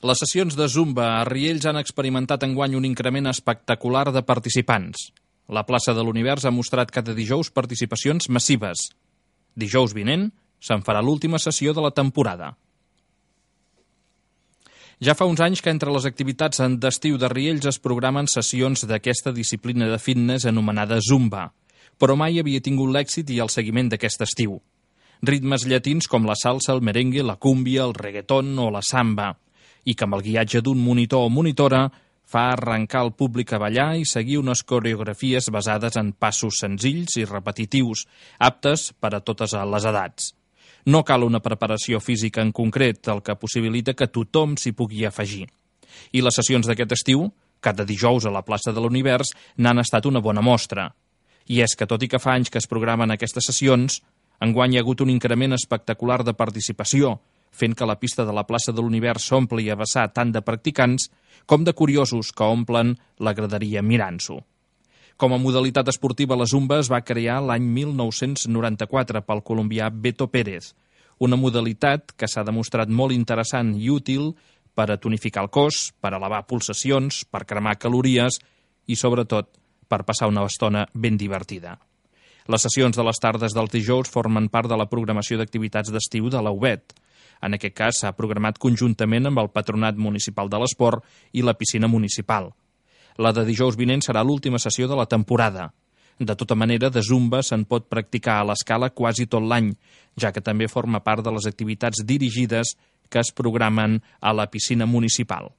Les sessions de Zumba a Riells han experimentat enguany un increment espectacular de participants. La plaça de l'Univers ha mostrat cada dijous participacions massives. Dijous vinent se'n farà l'última sessió de la temporada. Ja fa uns anys que entre les activitats d'estiu de Riells es programen sessions d'aquesta disciplina de fitness anomenada Zumba, però mai havia tingut l'èxit i el seguiment d'aquest estiu. Ritmes llatins com la salsa, el merengue, la cúmbia, el reggaeton o la samba, i que amb el guiatge d'un monitor o monitora fa arrencar el públic a ballar i seguir unes coreografies basades en passos senzills i repetitius, aptes per a totes les edats. No cal una preparació física en concret, el que possibilita que tothom s'hi pugui afegir. I les sessions d'aquest estiu, cada dijous a la plaça de l'Univers, n'han estat una bona mostra. I és que, tot i que fa anys que es programen aquestes sessions, enguany hi ha hagut un increment espectacular de participació, fent que la pista de la plaça de l'Univers s'ompli a vessar tant de practicants com de curiosos que omplen la graderia mirant-s'ho. Com a modalitat esportiva, la Zumba es va crear l'any 1994 pel colombià Beto Pérez, una modalitat que s'ha demostrat molt interessant i útil per a tonificar el cos, per elevar pulsacions, per cremar calories i, sobretot, per passar una estona ben divertida. Les sessions de les tardes dels dijous formen part de la programació d'activitats d'estiu de la UBET. En aquest cas s'ha programat conjuntament amb el Patronat Municipal de l'Esport i la piscina municipal. La de dijous vinent serà l'última sessió de la temporada. De tota manera, de Zumba se'n pot practicar a l'escala quasi tot l'any, ja que també forma part de les activitats dirigides que es programen a la piscina municipal.